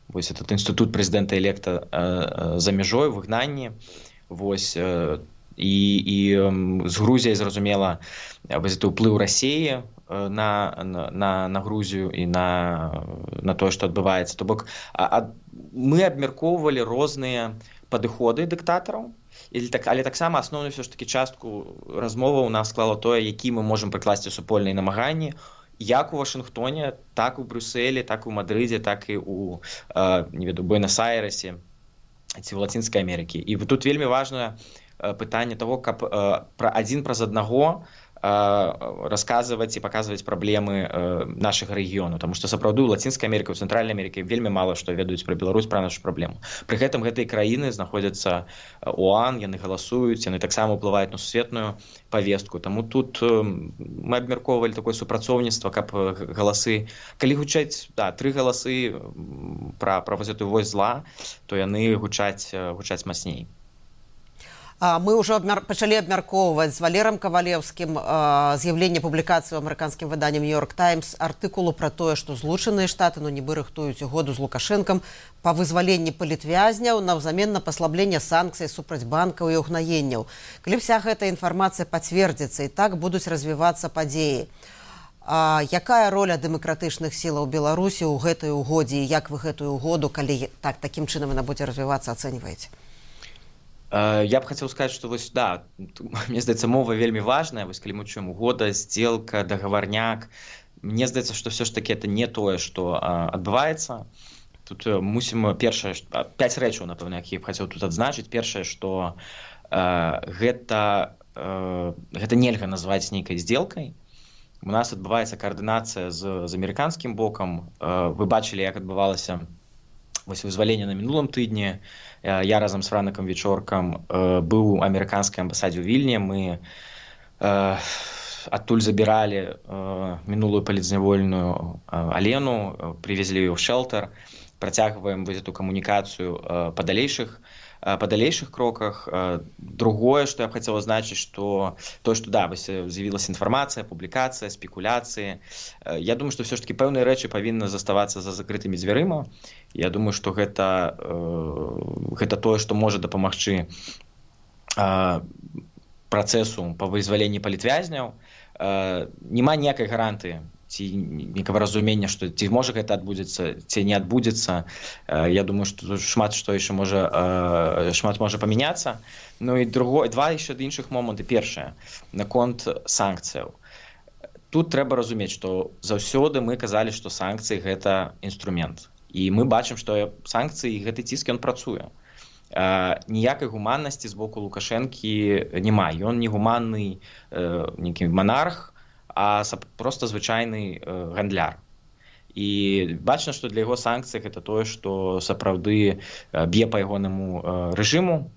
вось этот інстытут прэзідэнта электа э, э, за мяжой, выгнанні. Вось, э, і, і э, з Грузіяй, зразумела, вось, это ўплыў Расіі э, на, на, на Грузію і на, на тое, што адбываецца. То бок, а, а, мы абмяркоўвалі розныя падыходы дыктатараў, але таксама асноўную все ж таки частку размовы у нас склала тое, які мы можам прыкласці супольныя намаганні як у Вашынгтоне, так у Брюсселі, так у Мадрыдзе, так і у не веду, Буэнос-Айресе ці ў Лацінскай Амерыкі. І тут вельмі важнае пытанне того, каб пра адзін праз аднаго расказваць і паказваць праблемы нашага рэгіёну, таму што сапраўды ў Лацінскай Амерыкі, у Цэнтральнай Амерыкі вельмі мала што ведаюць пра Беларусь, пра нашу праблему. Пры гэтым гэтыя краіны знаходзяцца ОАН, яны галасуюць, яны таксама ўплываюць на сусветную павестку. Таму тут мы абмяркоўвалі такое супрацоўніцтва, каб галасы, калі гучаць, да, тры галасы пра, пра вось гэтую вось зла, то яны гучаць, гучаць мацней. Мы ўжо абмяр... пачалі абмяркоўваць з Валерам Кавалеўскім з'яўленне публікацыі ў амерыканскім выданні «Нью-Йорк Таймс» артыкулу пра тое, што Злучаныя Штаты ну нібы рыхтуюць угоду з Лукашэнкам па вызваленні палітвязняў наўзамен на паслабленне санкцый супраць банкаў і угнаенняў. Калі вся гэта інфармацыя пацвердзіцца і так будуць развівацца падзеі. А якая роля дэмакратычных сілаў Беларусі ў гэтай угодзе і як вы гэтую угоду, калі так такім чынам яна будзе развівацца, ацэньваеце? Я б хотел сказать, что вось, да, мне здаецца, мова вельмі важная, вось калі мы чуем угода, сделка, договорняк, мне здаецца, что все ж таки это не тое, что адбываецца. Тут мусім першае, пяць рэчаў, напэўна, якія б хацеў тут адзначыць. Першае, что э, гэта, э, гэта нельга назваць нейкай сделкай. У нас адбываецца каардынацыя з, з амерыканскім бокам. Э, вы бачылі, як адбывалася вось вызваленне на мінулым тыдні. Я разам з Франакам Вечоркам э, быў у амерыканскай амбасадзе ў Вільні. Мы э, адтуль забіралі э, мінулую палітзнявольную э, Алену, привезлі ее в шелтер, працягваем вось эту камунікацыю э, па далейшых э, па далейшых кроках. Э, другое, што я б хацеў азначыць, што то, што да, вось з'явілася інфармацыя, публікацыя, спекуляцыі. Э, я думаю, што все ж таки пэўныя рэчы павінны заставацца за закрытымі дзвярыма. Я думаю, што гэта, э, гэта тое, што можа дапамагчы э, працэсу па вызваленні палітвязняў. Э, няма ніякай гарантыі ці некага разумення, што ці можа гэта адбудзецца, ці не адбудзецца. Э, я думаю, што тут шмат што яшчэ можа, э, шмат можа памяняцца. Ну і другое, два яшчэ іншых моманты. Першае, наконт санкцыяў. Тут трэба разумець, што заўсёды мы казалі, што санкцыі гэта інструмент. І мы бачым, што санкцыі і гэты ціск ён працуе. Э, ніякай гуманнасці з боку Лукашэнкі няма. Ён не гуманны э, нейкі манарх, а просто звычайны э, гандляр. І бачна, што для яго санкцый гэта тое, што сапраўды э, б'е па ягонаму э, рэжыму.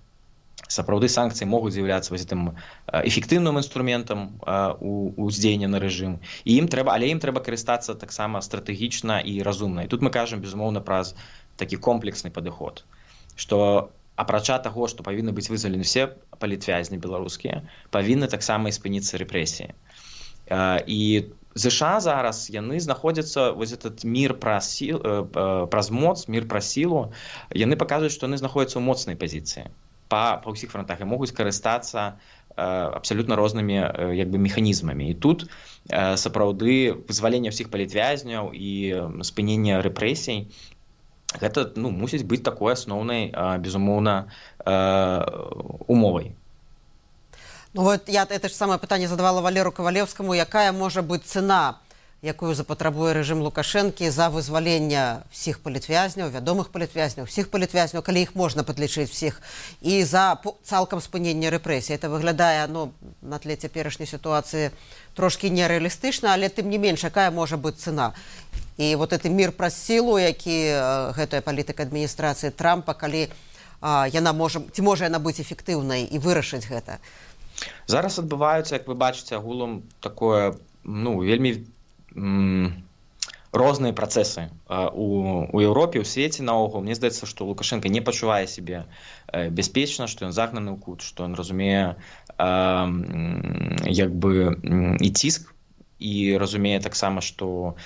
Сапраўды санкцыі могуць з'яўляцца вось гэтым эфектыўным інструментам у ўздзеяння на рэжым. І ім трэба, але ім трэба карыстацца таксама стратэгічна і разумна. І тут мы кажам, безумоўна, праз такі комплексны падыход, што апрача таго, што павінны быць вызвалены все палітвязні беларускія, павінны таксама і спыніцца рэпрэсіі. І ЗША зараз яны знаходзяцца, вось этот мір праз, сіл, праз моц, мір праз сілу, яны паказваюць, што яны знаходзяцца ў моцнай пазіцыі. Па, па ўсіх фронтах і могуць карыстацца э, абсалютна рознымі э, як бы механізмамі. І тут э, сапраўды вызваленне ўсіх палітвязняў і э, спыненне рэпрэсій гэта ну, мусіць быць такой асноўнай, э, безумоўна, э, умовай. Ну вот я это ж самае пытанне задавала Валеру Кавалеўскаму, якая можа быць цана, якую запатрабуе рэжым Лукашэнкі за вызваленне всіх палітвязняў, вядомых палітвязняў, всіх палітвязняў, калі іх можна падлічыць всіх, і за цалкам спынення рэпрэсій. Это выглядае ну, на тле цяперашняй сітуацыі трошкі нерэалістычна, але тым не менш, якая можа быць цана. І вот гэты мір праз сілу, які гэтая палітыка адміністрацыі Трампа, калі а, яна можа, ці можа яна быць эфектыўнай і вырашыць гэта. Зараз адбываюцца, як вы бачыце, агулам такое, ну, вельмі розныя працэсы у, у Еўропе, у свеце наогул. Мне здаецца, што Лукашенко не пачувае сябе бяспечна, што ён загнаны ў кут, што ён разумее як бы і ціск, і разумее таксама, што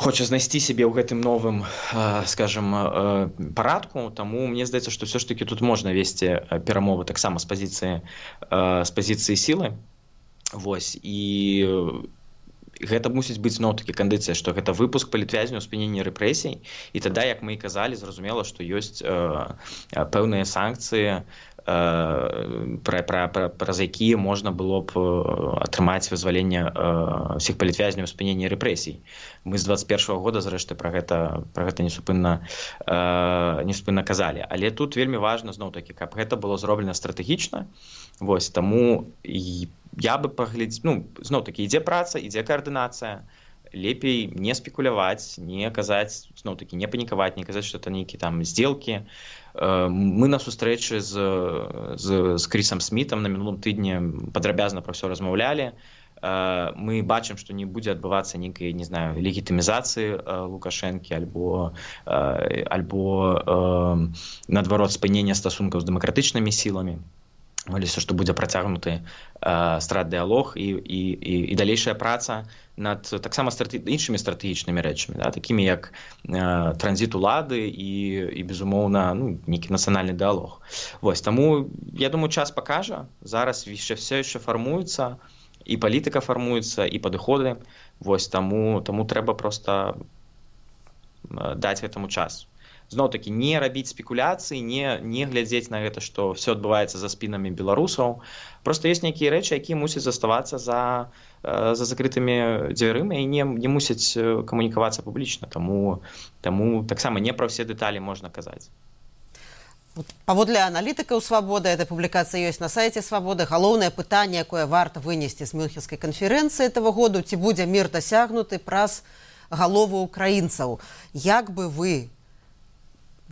хоча знайсці сябе ў гэтым новым, скажем, парадку. Таму мне здаецца, што все ж таки тут можна весці перамовы таксама з пазіцыі, з пазіцыі сілы. Вось, і гэта мусіць быць зноў-такі кандыцыя, што гэта выпуск палітвязняў, спыненне рэпрэсій, і тада, як мы і казалі, зразумела, што ёсць э, пэўныя санкцыі, э, пра, пра, пра, праз якія можна было б атрымаць вызваленне э, всіх палітвязняў, спыненне рэпрэсій. Мы з дваццаць першага года, зрэшты, пра гэта, пра гэта несупынна, э, несупынна казалі. Але тут вельмі важна, зноў-такі, каб гэта было зроблена стратэгічна. Вось, таму і я бы паглядзеў, ну, зноў-такі, ідзе праца, ідзе каардынацыя, лепей не спекуляваць, не казаць, зноў-такі, не панікаваць, не казаць, што это нейкі там здзелкі. Мы на сустрэчы з, з, з Крісам Смітам на мінулым тыдні падрабязна пра ўсё размаўлялі. Мы бачым, што не будзе адбывацца нейкай, не знаю, легітымізацыі Лукашэнкі альбо, альбо наадварот спынення стасункаў з дэмакратычнымі сіламі. Молюся, што будзе працягнуты э, страт-дыалог і, і, і, і далейшая праца над таксама страте... іншымі стратэгічнымі рэчамі, да, такімі як э, транзіт улады і, і безумоўна, ну, нейкі нацыянальны дыалог. Вось, таму, я думаю, час пакажа. Зараз яшчэ все яшчэ фармуецца, і палітыка фармуецца, і падыходы. Вось, таму, таму трэба проста даць гэтаму час. Зноў-такі, не рабіць спекуляцыі, не, не глядзець на гэта, што все адбываецца за спінамі беларусаў. Проста ёсць нейкія рэчы, якія мусяць заставацца за, за закрытымі дзвярыма і не, не мусяць камунікавацца публічна. Таму, таму таксама не пра ўсе дэталі можна казаць. Паводле аналітыкаў «Свабоды», эта публікацыя ёсць на сайце «Свабоды», галоўнае пытанне, якое варта вынесці з Мюнхенскай канферэнцыі этого году, ці будзе мір дасягнуты праз галовы украінцаў. Як бы вы,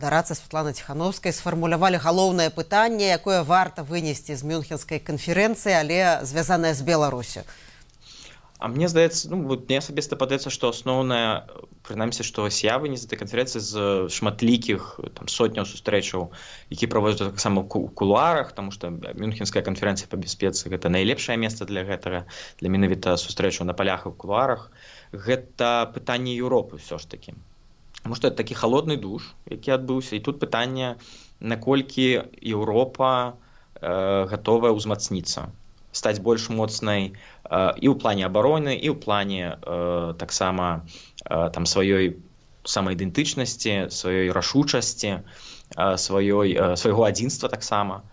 дараца Святлана Ціхановская, сфармулявалі галоўнае пытанне, якое варта вынесці з Мюнхенскай канферэнцыі, але звязанае з Беларусю? А мне здаецца, ну, вот мне асабіста падаецца, што асноўнае, прынамсі, што я вынес з этой канферэнцыі з шматлікіх там сотняў сустрэчаў, які праводзяцца таксама ў кулуарах, таму што Мюнхенская канферэнцыя па бяспецы гэта найлепшае месца для гэтага, для менавіта сустрэчаў на палях і ў кулуарах. Гэта пытанне Еўропы ўсё ж такі. Таму што это такі халодны душ, які адбыўся, і тут пытанне, наколькі Еўропа э, гатовая ўзмацніцца, стаць больш моцнай э, і ў плане абароны, і ў плане э, таксама э, там сваёй самаідэнтычнасці, сваёй рашучасці, э, сваёй, э, свайго адзінства таксама.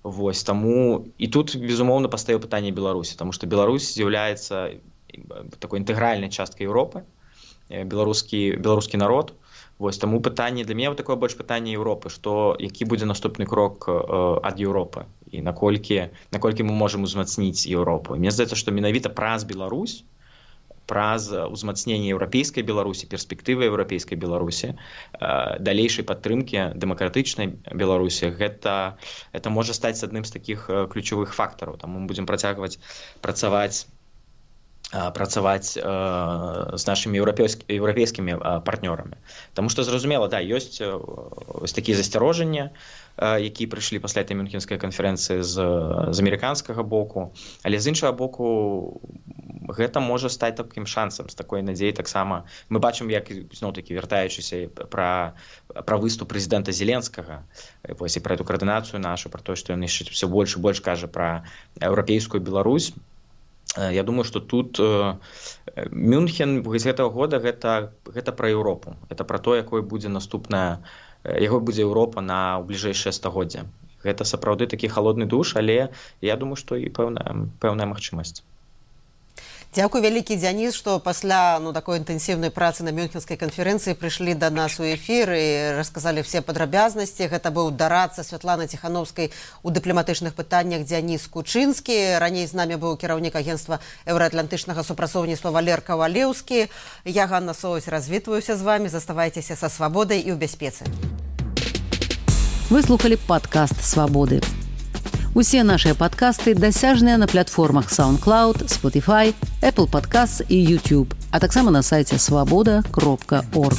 Вось, таму і тут, безумоўна, пастаіў пытанне Беларусі, таму што Беларусь з'яўляецца такой інтэгральнай часткай Еўропы, беларускі, беларускі народ. Вось, таму пытанне для мяне такое больш пытанне Еўропы, што які будзе наступны крок э, ад Еўропы і наколькі, наколькі мы можам узмацніць Еўропу. Мне здаецца, што менавіта праз Беларусь, праз узмацненне еўрапейскай Беларусі, перспектывы еўрапейскай Беларусі, э, далейшай падтрымкі дэмакратычнай Беларусі, гэта, гэта можа стаць адным з такіх э, ключавых фактараў. Таму мы будзем працягваць працаваць працаваць э, з нашымі еўрапейскімі э, партнёрамі. Таму што, зразумела, да, ёсць э, ось такія засцярожанні, э, якія прыйшлі пасля этой Мюнхенскай канферэнцыі з, з амерыканскага боку, але з іншага боку гэта можа стаць такім шансам, з такой надзеяй таксама. Мы бачым, як, зноў-такі, вяртаючыся пра, пра выступ прэзідэнта Зеленскага, вось, і пра эту каардынацыю нашу, пра тое, што ён яшчэ ўсё больш і больш кажа пра еўрапейскую Беларусь. Я думаю, што тут э, Мюнхен з гэтага года гэта, гэта пра Еўропу. Гэта пра то, якой будзе наступная, якой будзе Еўропа на ў бліжэйшае стагоддзе. Гэта сапраўды такі халодны душ, але я думаю, што і пэўная, пэўная магчымасць. Дзякуй вялікі, Дзяніс, што пасля ну, такой інтэнсіўнай працы на Мюнхенскай канферэнцыі прыйшлі да нас у эфір і расказалі все падрабязнасці. Гэта быў дараца Святланы Ціхановскай у дыпламатычных пытаннях Дзяніс Кучынскі. Раней з намі быў кіраўнік агенцтва еўраатлантычнага супрацоўніцтва Валер Кавалеўскі. Я, Ганна Соусь, развітваюся з вамі. Заставайцеся са свабодай і ў бяспецы. Вы слухалі падкаст «Свабоды». Усе нашыя падкасты дасяжныя на платформах SoundCloud, Spotify, Apple Podcasts і YouTube, а таксама на сайце свабода кропка орг.